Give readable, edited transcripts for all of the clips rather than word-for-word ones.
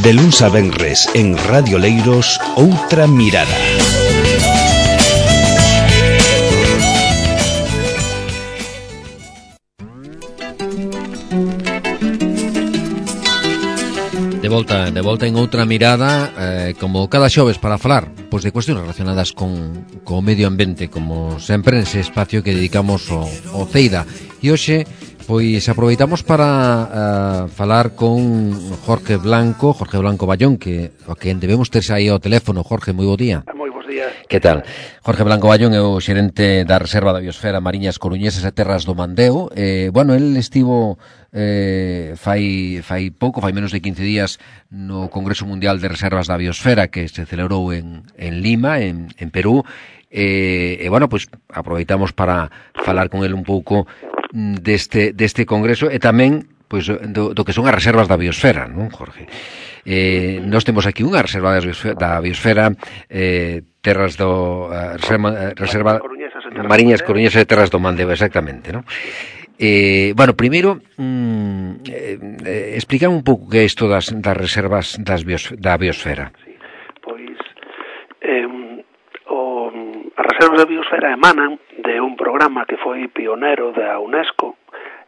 De luns a venres en Radio Leiros, Outra Mirada. De volta en Outra Mirada, como cada xoves para falar pois de cuestións relacionadas con o medio ambiente, como sempre nese espacio que dedicamos ao CEIDA. E hoxe pois aproveitamos para falar con Jorge Blanco Ballón, que a quen debemos ter aí ao teléfono. Jorge, moi bo día. Moi bons días. Que tal? Jorge Blanco Ballón é o xerente da Reserva da Biosfera Mariñas Coruñesas e Terras do Mandeo. Bueno, el estivo fai menos de 15 días no Congreso Mundial de Reservas da Biosfera que se celebrou en Lima, en Perú. Bueno, pois aproveitamos para falar con el un pouco deste congreso e tamén pois do que son as reservas da biosfera, non, Jorge? Nós temos aquí unha reserva da biosfera, terras do reserva Mariñas Coruñesas e Terras do Mandeo, exactamente, non? Bueno, primeiro explicar un pouco que é isto das reservas da biosfera. Sí, pois as reservas da biosfera emanan de un programa que foi pionero da UNESCO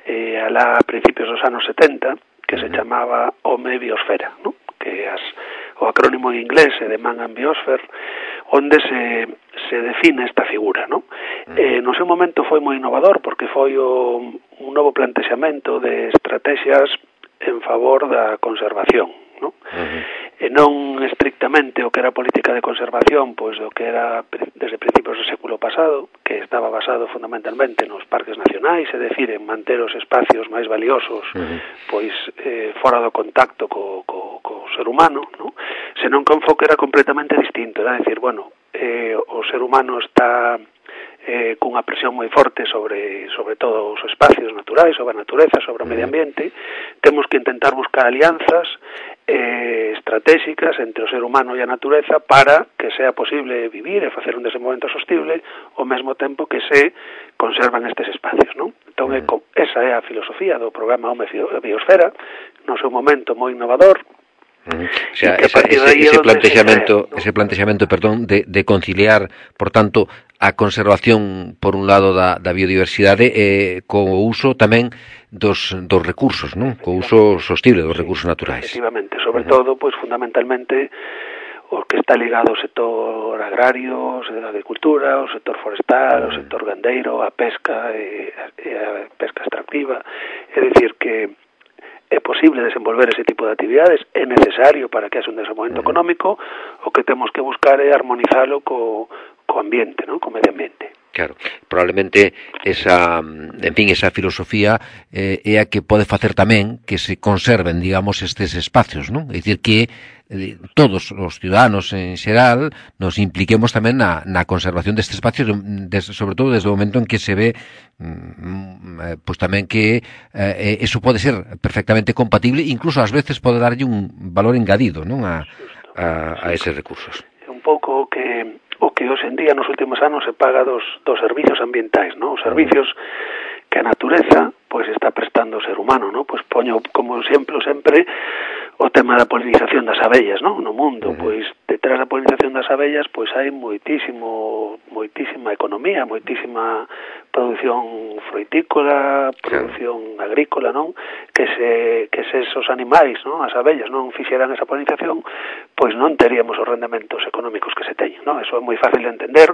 alá a principios dos anos 70, que se chamaba Home Biosfera, ¿no? Que o acrónimo en inglés é de Man and Biosphere, onde se define esta figura, ¿no? No seu momento foi moi innovador porque foi un novo plantexamento de estrategias en favor da conservación, ¿no? E non estrictamente o que era política de conservación, pois o que era desde principios do século pasado, que estaba basado fundamentalmente nos parques nacionais, é dicir, en manter os espacios máis valiosos, pois fora do contacto co ser humano, ¿no? Senón que o enfoque era completamente distinto, era dicir, bueno, o ser humano está cunha presión moi forte sobre todo os espacios naturais, sobre a natureza, sobre o medio ambiente. Temos que intentar buscar alianzas estratégicas entre o ser humano e a natureza para que sea posible vivir e facer un desenvolvemento sostible ao mesmo tempo que se conservan estes espacios, non? Entón, esa é a filosofía do programa Home Biosfera, no seu momento moi innovador. O sea, ese plantexamento, perdón, de conciliar, por tanto, a conservación por un lado da biodiversidade co uso tamén dos recursos, non? Co uso sostible dos recursos naturais. Efectivamente, sobre todo, pois fundamentalmente o que está ligado ao sector agrario, a agricultura, ao sector forestal, ao sector gandeiro, a pesca e a pesca extractiva. É dicir que é posible desenvolver ese tipo de actividades, é necesario para que haxa un desenvolvemento económico, o que temos que buscar é armonizalo co ambiente, ¿no? Co medio ambiente. Claro, probablemente esa filosofía é a que pode facer tamén que se conserven, digamos, estes espacios, non? É dicir que todos os ciudadanos en xeral nos impliquemos tamén na conservación destes espacios, sobre todo desde o momento en que se ve pois tamén que eso pode ser perfectamente compatible, incluso ás veces pode darlle un valor engadido, non, a eses recursos. É un pouco o que hoxe en día nos últimos anos se paga dos servicios ambientais, ¿no? Os servicios que a natureza pois está prestando o ser humano, ¿no? Pois poño como exemplo sempre o tema da polinización das abellas, ¿no? No mundo, pois detrás da polinización das abellas pois hai moitísima economía, moitísima produción froitícola, produción agrícola, non? Que se esos animais, non? As abellas non fixeran esa polinización, pois non teríamos os rendementos económicos que se teñen, non? Eso é moi fácil de entender,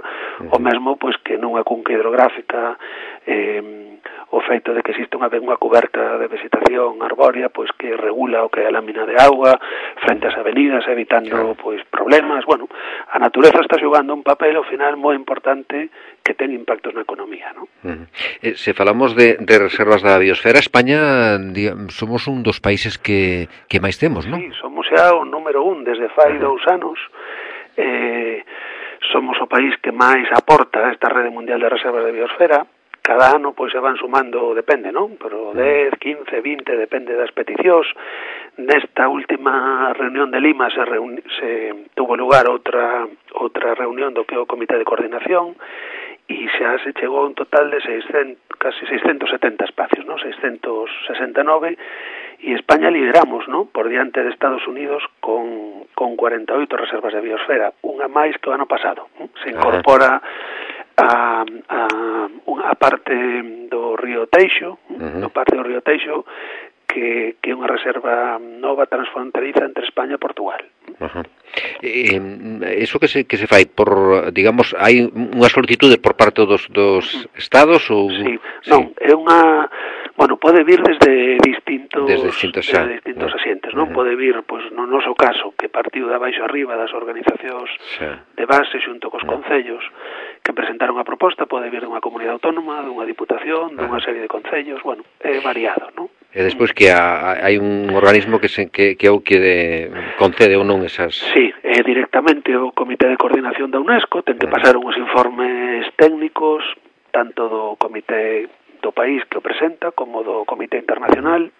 o mesmo pois que nunha cunca hidrográfica o feito de que existe unha cuberta de vegetación arbórea pois que regula o que é a lámina de agua frente ás avenidas, evitando pois problemas. Bueno, a natureza está xogando un papel ao final moi importante que ten impactos na economía, non? Se falamos de reservas da biosfera, España somos un dos países que máis temos, non? Sí, somos xa o número 1 desde fai 2 anos. Somos o país que máis aporta a esta rede mundial de reservas de biosfera. Cada ano pois se van sumando, depende, non? Pero 10, 15, 20, depende das peticións. Nesta última reunión de Lima se tuvo lugar outra reunión do que é o Comité de Coordinación e xa se chegou a un total de casi 670 espacios, non? 669, E España lideramos, ¿no?, por diante de Estados Unidos con 48 reservas de biosfera, unha máis que o ano pasado. Se incorpora a parte do río Teixo, que é unha reserva nova transfronteriza entre España e Portugal. Eso que se fai por, digamos, hai unha solicitude por parte dos estados ou Sí, non, é unha, bueno, pode vir desde distintos asientes, non? Pode vir, pois, no noso caso, que partiu de abaixo arriba das organizacións de base xunto cos concellos que presentaron a proposta, pode vir dunha comunidade autónoma, dunha diputación, dunha serie de concellos, bueno, é variado, non? E despois que hai un organismo que é o que concede ou non esas... Sí, directamente o Comité de Coordinación da UNESCO ten que pasar uns informes técnicos tanto do comité do país que o presenta como do comité internacional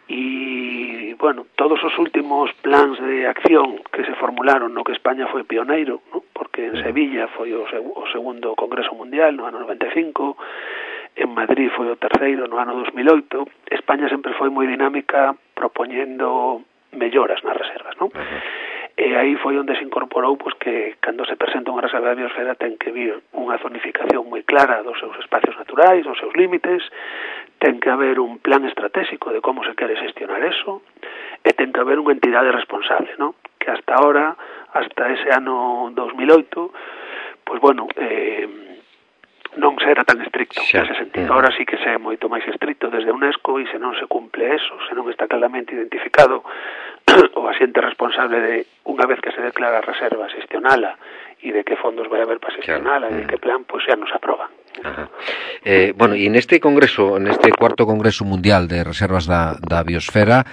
e, bueno, todos os últimos plans de acción que se formularon no que España foi pioneiro, ¿no?, porque en Sevilla foi o segundo Congreso Mundial no ano 95, en Madrid foi o terceiro no ano 2008, España sempre foi moi dinámica propoñendo melloras nas reservas, non? E aí foi onde se incorporou, pois, que cando se presenta unha reserva de biosfera ten que vir unha zonificación moi clara dos seus espacios naturais, dos seus límites, ten que haber un plan estratégico de como se quere xestionar eso, e ten que haber unha entidade responsable, non? Que hasta ahora, hasta ese ano 2008, pois, bueno, non se era tan estricto nese sentido. Ahora sí que se é moito máis estricto desde a UNESCO e se non se cumple eso, se non está claramente identificado o asiente responsable de, unha vez que se declara a reserva, xestionala e de que fondos vai haber para xestionala e de que plan, pois xa nos aproban. Bueno, e neste congreso, neste cuarto congreso mundial de reservas da biosfera,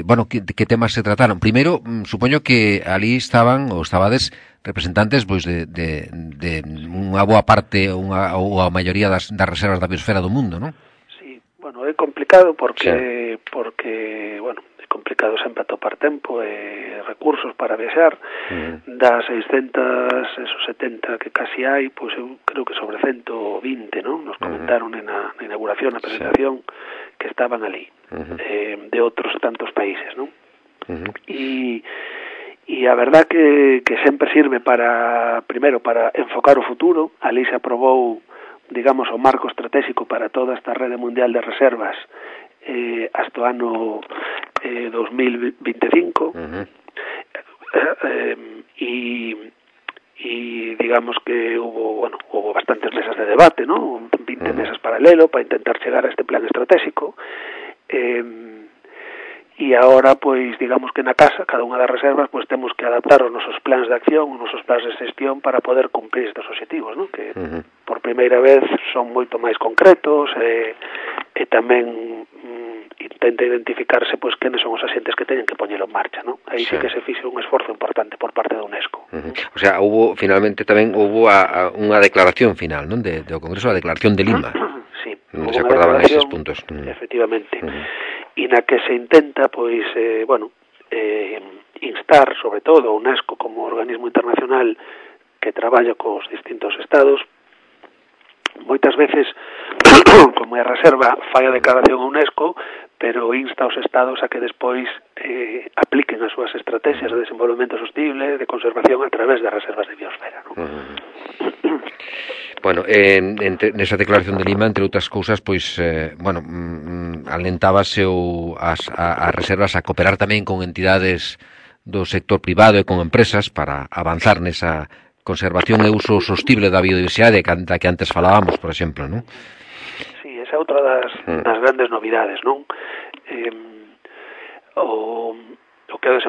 bueno, que temas se trataron? Primeiro, supoño que ali estabades representantes, pois, de unha boa parte ou a maioría das reservas da biosfera do mundo, non? Sí, bueno, é complicado porque bueno, é complicado sempre atopar tempo e recursos para viaxar. Das 670 que casi hai, pois eu creo que sobre 120, non? Nos comentaron na inauguración, na presentación, que estaban ali, de outros tantos países, non? E a verdad que sempre sirve primeiro para enfocar o futuro. Ali se aprobou, digamos, o marco estratégico para toda esta rede mundial de reservas hasta o ano 2025, e digamos que hubo bastantes mesas de debate, ¿no? 20 mesas paralelo para intentar chegar a este plan estratégico, e agora, pois, digamos que na casa, cada unha das reservas, pois temos que adaptar os nosos plans de acción, os nosos plans de xestión para poder cumprir estes obxectivos, ¿no? Que por primeira vez son moito máis concretos e tamén intenta identificarse, pois, quenes son os asientes que teñen que poñelo en marcha, ¿no? Aí sí que se fixo un esforzo importante por parte da UNESCO. O sea, finalmente tamén houbo unha declaración final, non? Do Congreso, a declaración de Lima. Sí, se acordaban eses puntos. Efectivamente. E na que se intenta, pois, instar, sobre todo, a UNESCO como organismo internacional que traballa cos distintos estados. Moitas veces, como é a reserva, fai a declaración a UNESCO, pero insta aos estados a que despois apliquen as súas estrategias de desenvolvemento sostible, de conservación a través das reservas de biosfera, non? Bueno, nesa declaración de Lima, entre outras cousas, pois, bueno, alentábase as reservas a cooperar tamén con entidades do sector privado e con empresas para avanzar nesa conservación e uso sostible da biodiversidade da que antes falábamos, por exemplo, non? Sí, esa é outra das grandes novidades, non? O que os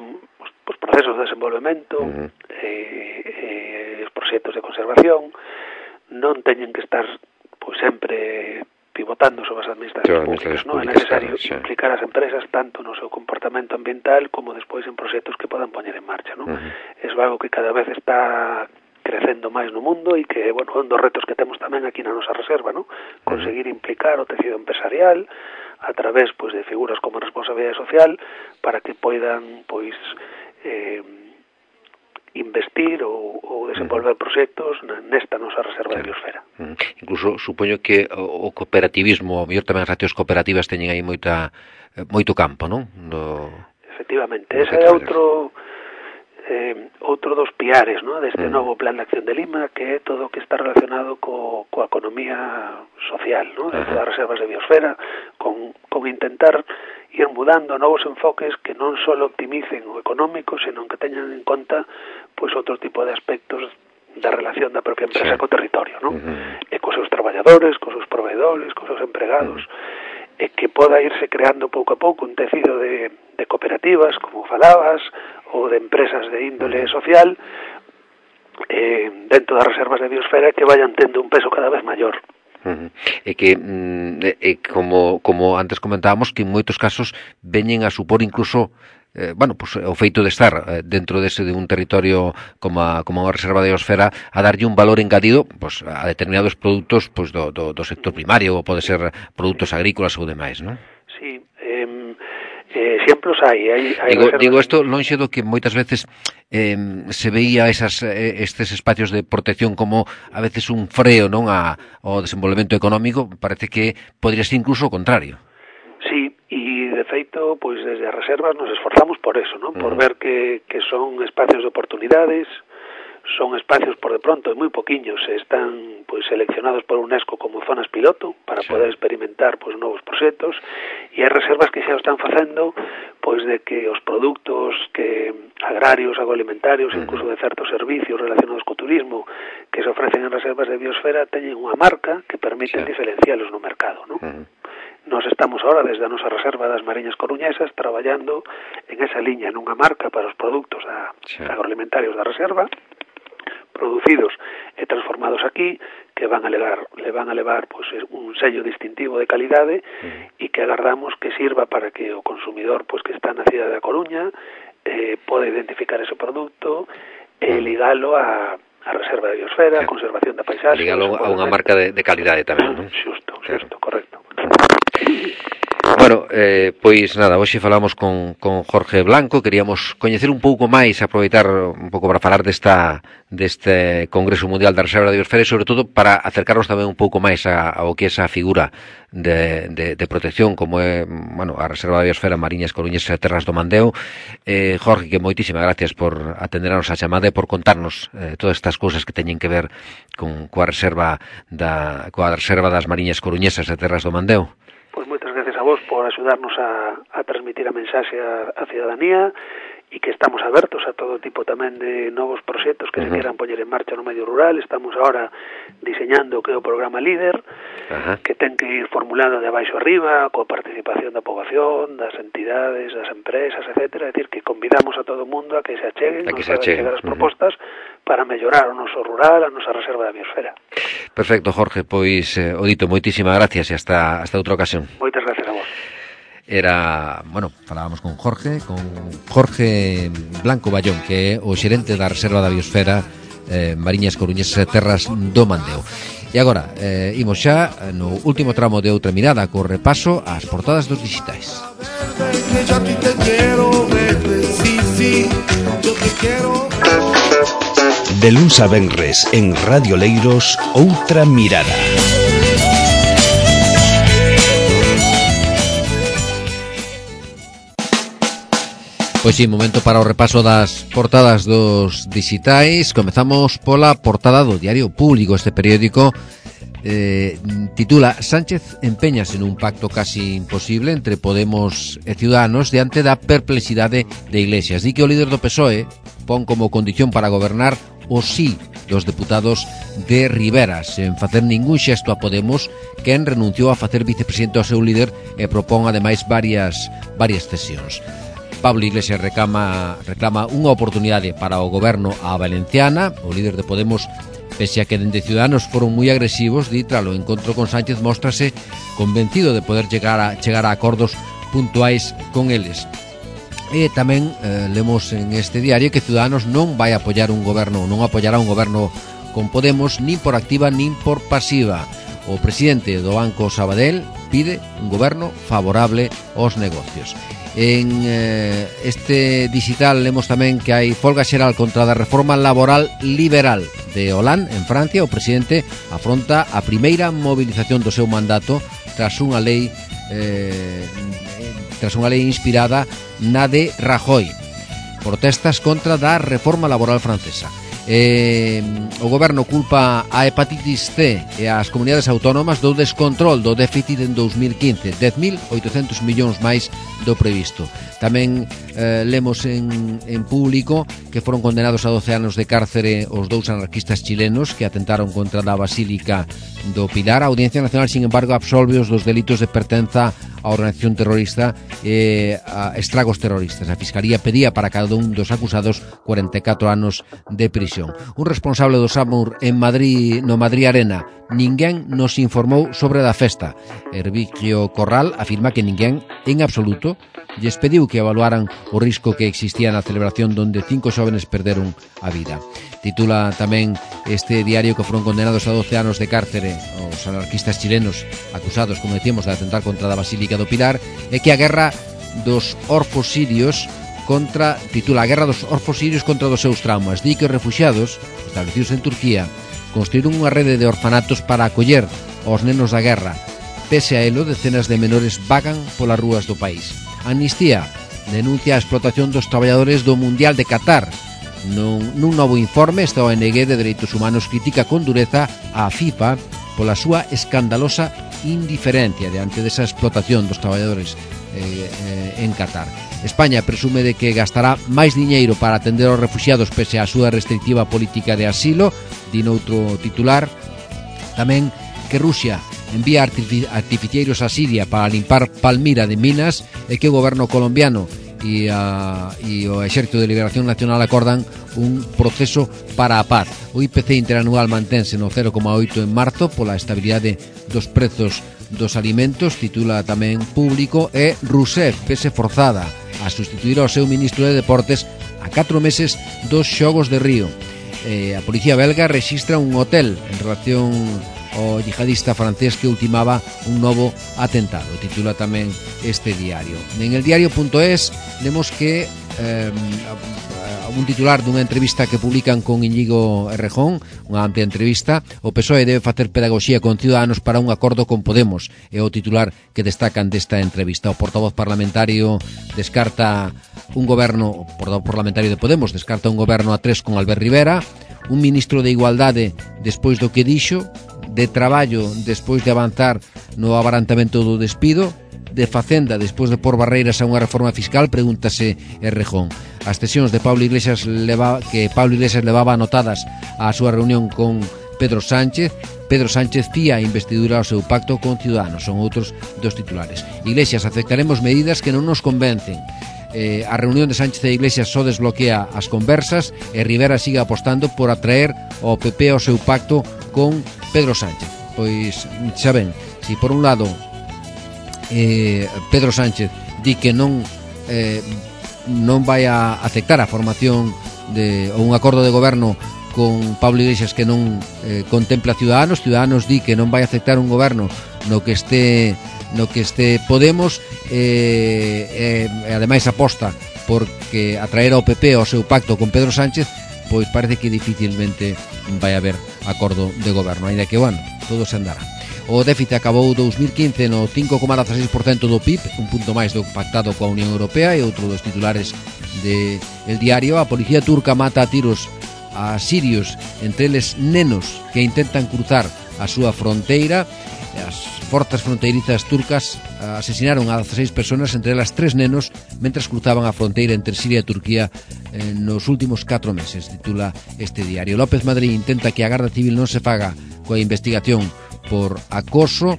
procesos de desenvolvemento, os proxectos de conservación non teñen que estar, pois, sempre pivotando sobre as administracións públicas, non? É necesario implicar as empresas tanto no seu comportamento ambiental como despois en proxectos que podan poñer en marcha, non? É algo que cada vez está crecendo máis no mundo e que, bueno, un dos retos que temos tamén aquí na nosa reserva, non? Conseguir implicar o tecido empresarial a través, pois, de figuras como responsabilidade social para que poidan, pois, investir ou desenvolver proxectos nesta nosa reserva de biosfera. Incluso supoño que o cooperativismo, o mellor tamén as accións cooperativas teñen aí moito campo, non? Efectivamente, ese é outro dos piares, ¿no?, deste novo Plan de Acción de Lima, que é todo o que está relacionado coa economía social, ¿no?, dentro das reservas de biosfera, con intentar ir mudando novos enfoques que non só optimicen o económico, senón que teñan en conta pois outro tipo de aspectos da relación da propia empresa co territorio, ¿no? E cos seus traballadores, cos seus proveedores, cos seus empregados, e que poda irse creando pouco a pouco un tecido de cooperativas, como falabas, ou de empresas de índole social dentro das reservas de biosfera que vayan tendo un peso cada vez maior. E que como antes comentábamos, que en moitos casos veñen a supor incluso o feito de estar dentro de un territorio como unha reserva de biosfera, a darlle un valor engadido a determinados produtos do sector primario, ou pode ser produtos agrícolas ou demais, non? Sí, exemplos hai digo isto lonxe do que moitas veces se veía estes espacios de protección como a veces un freo, non, ao desenvolvemento económico. Parece que podría ser incluso o contrario. Sí, e de feito, pois desde as reservas nos esforzamos por eso, non? Por ver que son espacios de oportunidades, son espacios por de pronto moi poquiños, están pois seleccionados por UNESCO como zonas piloto para poder experimentar pois novos proxectos, e hai reservas que xa o están facendo pois de que os produtos que agrarios, agroalimentarios, incluso de certos servicios relacionados co turismo que se ofrecen en reservas de biosfera teñen unha marca que permite diferencialos no mercado, non? Nos estamos ahora desde a nosa reserva das Mariñas Coruñesas traballando en esa liña, nunha marca para os produtos agroalimentarios da reserva, producidos e transformados aquí, que le van a levar pues, un sello distintivo de calidade e que agardamos que sirva para que o consumidor pues, que está na cidade da Coruña poda identificar ese produto e ligalo a reserva de biosfera, a conservación da paisaxe. Ligalo a unha marca de calidade tamén, non? Xusto, correcto. Bueno, pois nada, hoxe falamos con Jorge Blanco. Queríamos coñecer un pouco máis, aproveitar un pouco para falar deste Congreso Mundial da Reserva de Biosfera e sobre todo para acercarnos tamén un pouco máis ao que é esa figura de protección como é, a Reserva de Biosfera Mariñas Coruñesas e Terras do Mandeo. Jorge, que moitísimas gracias por atender a nosa chamada e por contarnos todas estas cousas que teñen que ver coa reserva das Mariñas Coruñesas e Terras do Mandeo. Pois moitas gracias a vos por axudarnos a transmitir a mensaxe á ciudadanía e que estamos abertos a todo tipo tamén de novos proxectos que se queran poñer en marcha no medio rural. Estamos ahora diseñando o que é o programa Líder, que ten que ir formulado de abaixo arriba, coa participación da poboación, das entidades, das empresas, etcétera. É dicir, que convidamos a todo o mundo a que se acheguen, chegar as propostas para mellorar o noso rural, a nosa reserva da biosfera. Perfecto, Jorge, pois o dito, moitísimas gracias e hasta outra ocasión. Moitas gracias a vos. Falábamos con Jorge Blanco Ballón, que é o xerente da Reserva da Biosfera Mariñas Coruñesas e Terras do Mandeo. E agora, imos xa no último tramo de outra mirada co repaso ás portadas dos digitais. De luns a venres en Radio Leiros, outra mirada. Pois sí, momento para o repaso das portadas dos digitais. Comezamos pola portada do Diario Público. Este periódico titula Sánchez empeñase nun pacto casi imposible entre Podemos e Ciudadanos diante da perplexidade de Iglesias. Di que o líder do PSOE pon como condición para gobernar o sí dos deputados de Rivera, sen facer ningún xesto a Podemos, quen renunciou a facer vicepresidente ao seu líder e propón ademais varias cesións. Pablo Iglesias reclama unha oportunidade para o goberno á valenciana. O líder de Podemos, pese a que dende Ciudadanos foron moi agresivos, di tras o encontro con Sánchez móstrase convencido de poder chegar a acordos puntuais con eles. E tamén lemos en este diario que Ciudadanos non vai apoiará un goberno con Podemos nin por activa nin por pasiva. O presidente do Banco Sabadell pide un goberno favorable aos negocios. En este digital lemos tamén que hai folga xeral contra a reforma laboral liberal de Hollande en Francia. O presidente afronta a primeira movilización do seu mandato tras unha lei inspirada na de Rajoy. Protestas contra da reforma laboral francesa. O goberno culpa a hepatitis C e as comunidades autónomas do descontrol do déficit en 2015, 10.800 millóns máis do previsto. Tamén lemos en público que foron condenados a 12 anos de cárcere os dous anarquistas chilenos que atentaron contra a Basílica do Pilar. A Audiencia Nacional, sin embargo, absolve-os dos delitos de pertenza a organización terrorista e a estragos terroristas. A Fiscalía pedía para cada un dos acusados 44 anos de prisión. Un responsable do SAMUR en Madrid, no Madrid Arena: ninguén nos informou sobre a festa. Hervigio Corral afirma que ninguén, en absoluto, lles pediu que evaluaran o risco que existía na celebración donde 5 xóvenes perderon a vida. Titula tamén este diario que foron condenados a 12 anos de cárcere os anarquistas chilenos acusados, como decíamos, de atentar contra a Basílica do Pilar, e que a guerra dos orfos sirios titula a guerra dos orfos sirios contra os seus traumas. Di que os refuxiados establecidos en Turquía construíron unha rede de orfanatos para acoller aos nenos da guerra. Pese a elo, decenas de menores vagan polas rúas do país. Amnistía denuncia a explotación dos traballadores do Mundial de Qatar. Nun novo informe, esta ONG de Dereitos Humanos critica con dureza a FIFA pola súa escandalosa indiferencia diante desa explotación dos traballadores en Qatar. España presume de que gastará máis diñeiro para atender aos refuxiados pese á súa restrictiva política de asilo. Di noutro titular tamén que Rusia envía artificieiros a Siria para limpar Palmira de minas e que o goberno colombiano e o Exército de Liberación Nacional acordan un proceso para a paz. O IPC interanual mantense no 0,8 en marzo pola estabilidade dos prezos dos alimentos. Titula tamén Público. E Rousseff vese forzada a sustituir ao seu ministro de Deportes a 4 meses dos Xogos de Río. A policía belga rexistra un hotel en relación ao yihadista francés que ultimaba un novo atentado. Titula tamén este diario. En el diario.es vemos que un titular dunha entrevista que publican con Íñigo Errejón, unha amplia entrevista. O PSOE debe facer pedagogía con Ciudadanos para un acordo con Podemos, é o titular que destacan desta entrevista. O portavoz parlamentario descarta un goberno, o portavoz parlamentario de Podemos descarta un goberno a 3 con Albert Rivera, un ministro de Igualdade despois do que dixo, de Traballo despois de avanzar no abarantamento do despido, de Facenda despois de pôr barreiras a unha reforma fiscal. Pregúntase Errejón. As cesións de Pablo Iglesias levaba anotadas á súa reunión con Pedro Sánchez. Pedro Sánchez fía a investidura ao seu pacto con Ciudadanos. Son outros dos titulares. Iglesias: aceptaremos medidas que non nos convencen. A reunión de Sánchez e Iglesias só desbloquea as conversas e Rivera sigue apostando por atraer ao PP ao seu pacto con Pedro Sánchez. Pois xa ven, si por un lado Pedro Sánchez di que non vai a aceptar a formación ou un acordo de goberno con Pablo Iglesias que non contempla Ciudadanos. Ciudadanos di que non vai a aceptar un goberno no que este Podemos e ademais aposta porque atraer ao PP ao seu pacto con Pedro Sánchez. Pois parece que dificilmente vai haber acordo de goberno, ainda que, bueno, todo se andará. O déficit acabou 2015 no 5,16% do PIB, un punto máis do pactado coa Unión Europea. E outro dos titulares de El Diario: a policía turca mata a tiros a sirios, entre eles nenos que intentan cruzar a súa fronteira. As forzas fronteirizas turcas asesinaron a 16 personas, entre elas 3 nenos, mentras cruzaban a fronteira entre Siria e Turquía nos últimos 4 meses. Titula este diario. López Madrid intenta que a Garda Civil non se faga coa investigación por acoso.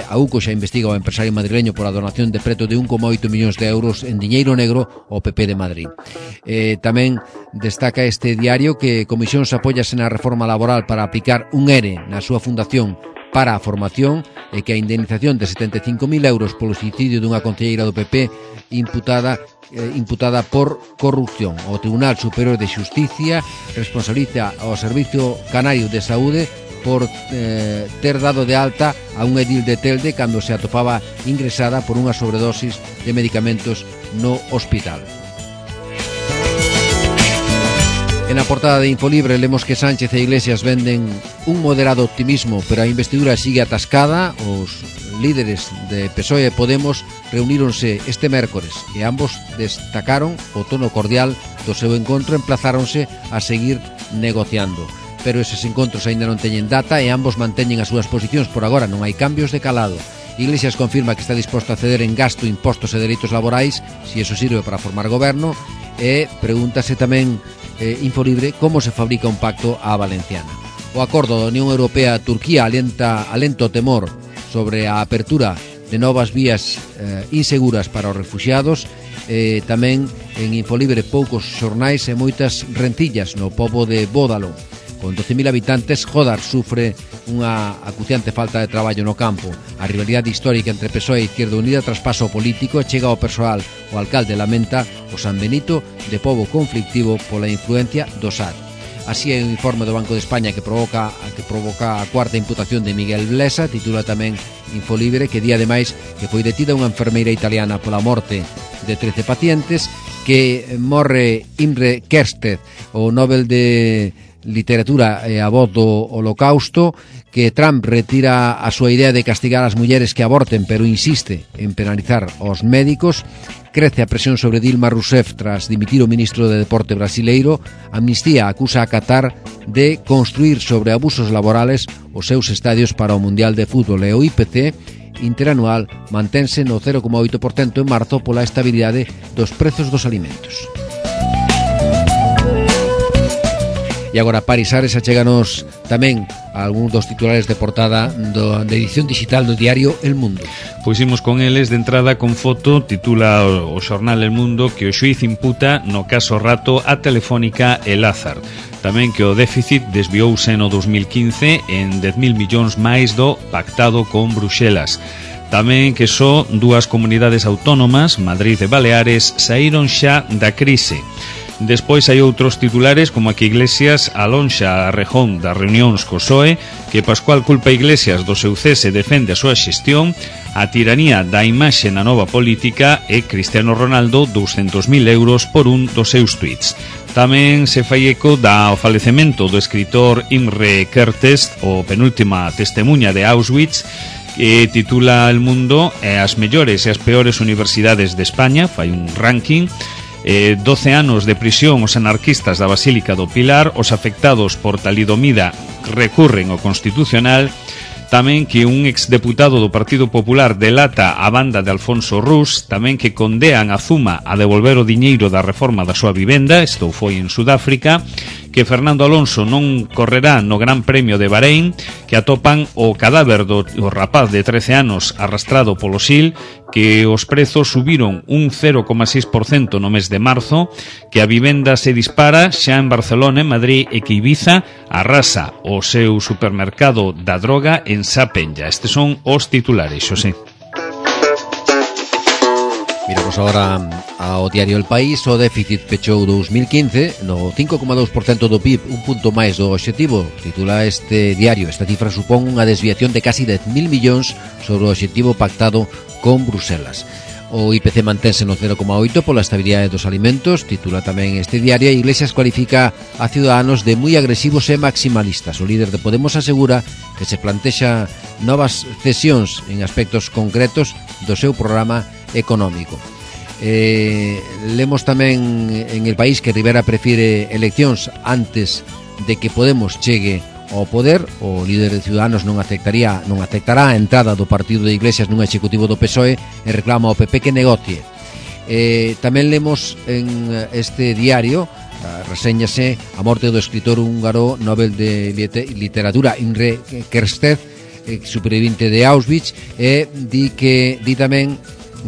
A UCO xa investiga o empresario madrileño por a donación de preto de 1,8 millóns de euros en diñeiro negro ao PP de Madrid. Tamén destaca este diario que Comisións apóyase na reforma laboral para aplicar un ERE na súa fundación para a formación e que a indemnización de 75.000 euros polo suicidio dunha concelleira do PP imputada por corrupción. O Tribunal Superior de Xusticia responsabiliza ao Servicio Canario de Saúde por ter dado de alta a un edil de Telde cando se atopaba ingresada por unha sobredosis de medicamentos no hospital. En a portada de Infolibre lemos que Sánchez e Iglesias venden un moderado optimismo, pero a investidura sigue atascada. Os líderes de PSOE e Podemos reuníronse este mércores e ambos destacaron o tono cordial do seu encontro e emplazáronse a seguir negociando. Pero eses encontros aínda non teñen data e ambos manteñen as súas posicións. Por agora non hai cambios de calado. Iglesias confirma que está disposto a ceder en gasto, impostos e dereitos laborais se iso sirve para formar goberno, e pregúntase tamén Infolibre como se fabrica un pacto á valenciana. O acordo da Unión Europea-Turquía alenta o temor sobre a apertura de novas vías inseguras para os refuxiados. Tamén en Infolibre poucos xornais e moitas rencillas no pobo de Bódalo. Con 12.000 habitantes, Jodar sufre unha acuciante falta de traballo no campo. A rivalidade histórica entre PSOE e Izquierda Unida traspasa o político e chega ao persoal. O alcalde lamenta o San Benito de pobo conflictivo pola influencia do SAD. Así é o informe do Banco de España que provoca a cuarta imputación de Miguel Blesa. Titula tamén Infolibre que día ademais que foi detida unha enfermeira italiana pola morte de 13 pacientes, que morre Imre Kertész, o Nobel de Literatura e a voz do Holocausto, que Trump retira a súa idea de castigar as mulleres que aborten, pero insiste en penalizar aos médicos. Crece a presión sobre Dilma Rousseff tras dimitir o ministro de Deporte brasileiro. Amnistía acusa a Qatar de construir sobre abusos laborales os seus estadios para o Mundial de Fútbol, e o IPC interanual mantense no 0,8% en marzo pola estabilidade dos prezos dos alimentos. E agora Paris Ares achéganos tamén a algúns dos titulares de portada da edición digital do diario El Mundo. Pois imos con eles de entrada con foto. Titula o xornal El Mundo que o xuíz imputa no caso Rato a Telefónica e Lázaro. Tamén que o déficit desviouse no 2015 en 10.000 millóns máis do pactado con Bruxelas. Tamén que só dúas comunidades autónomas, Madrid e Baleares, saíron xa da crise. Despois hai outros titulares como a que Iglesias alonxa a Rejón das reunións co PSOE, que Pascual culpa a Iglesias do seu cese e defende a súa xestión, a tiranía da imaxe na nova política e Cristiano Ronaldo 200.000 euros por un dos seus tweets. Tamén se fai eco do falecemento do escritor Imre Kertész, o penúltima testemunha de Auschwitz, que titula El Mundo as mellores e as peores universidades de España, fai un ranking. 12 anos de prisión os anarquistas da Basílica do Pilar. Os afectados por talidomida recurren ao Constitucional. Tamén que un exdeputado do Partido Popular delata a banda de Alfonso Rus. Tamén que condean a Zuma a devolver o diñeiro da reforma da súa vivenda. Isto foi en Sudáfrica. Que Fernando Alonso non correrá no Gran Premio de Bahrein. Que atopan o cadáver do rapaz de 13 anos arrastrado polo Sil. Que os prezos subiron un 0,6% no mes de marzo. Que a vivenda se dispara xa en Barcelona, en Madrid, e que Ibiza arrasa o seu supermercado da droga en Sapenlla. Estes son os titulares, Xosé. Miramos agora ao diario El País. O déficit pechou 2015 no 5,2% do PIB, un punto máis do obxectivo. Titula este diario. Esta cifra supón unha desviación de casi 10.000 millóns sobre o obxectivo pactado con Bruselas. O IPC mantense no 0,8 pola estabilidade dos alimentos. Titula tamén este diario. Iglesias cualifica a Ciudadanos de moi agresivos e maximalistas. O líder de Podemos asegura que se plantexa novas cesións en aspectos concretos do seu programa económico. Lemos tamén en El País que Rivera prefire eleccións antes de que Podemos chegue ao poder. O líder de Ciudadanos non aceptará a entrada do partido de Iglesias nun executivo do PSOE e reclama ao PP que negocie. Tamén lemos en este diario reséñase a morte do escritor húngaro Nobel de Literatura Imre Kertész, supervivente de Auschwitz, e di tamén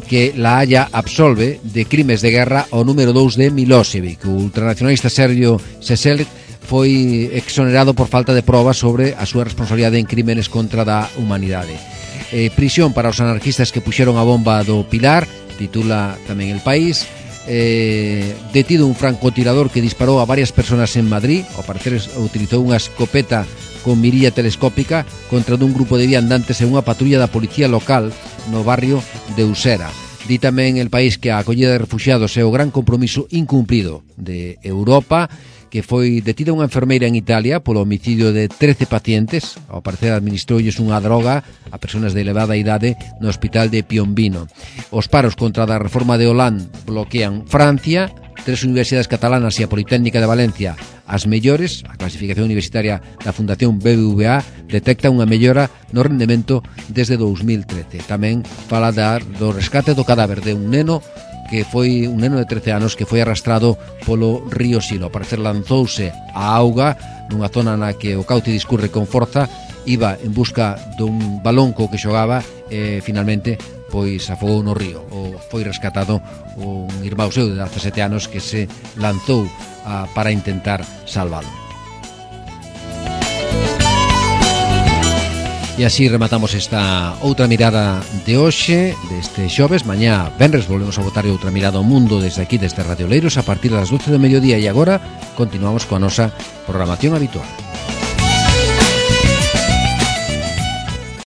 que La Haya absolve de crimes de guerra o número 2 de Milosevic. O ultranacionalista serbio Šešelj foi exonerado por falta de probas sobre a súa responsabilidade en crímenes contra da humanidade. Prisión para os anarquistas que puxeron a bomba do Pilar, titula tamén El País. Detido un francotirador que disparou a varias personas en Madrid. Ao parecer utilizou unha escopeta con mirilla telescópica contra dun grupo de viandantes e unha patrulla da policía local no barrio de Usera. Di tamén El País que a acollida de refugiados é o gran compromiso incumplido de Europa, que foi detida unha enfermeira en Italia polo homicidio de 13 pacientes. Ao parecer administroulles unha droga a persoas de elevada idade no hospital de Piombino. Os paros contra a reforma de Hollande bloquean Francia. 3 universidades catalanas e a Politécnica de Valencia, as mellores. A clasificación universitaria da Fundación BBVA detecta unha mellora no rendemento desde 2013. Tamén fala do rescate do cadáver de un neno que foi un neno de 13 anos que foi arrastrado polo río Silo. Ao parecer lanzouse a auga nunha zona na que o cauce discurre con forza, iba en busca dun balón co que xogaba e finalmente pois afogou no río. Foi rescatado un irmão seu de 17 anos que se lanzou para intentar salvalo. E así rematamos esta outra mirada de hoxe, deste xoves. Mañá, venres, volvemos a botar outra mirada ao mundo desde aquí, desde Radio Leiros, a partir das 12 do mediodía. E agora continuamos coa nosa programación habitual.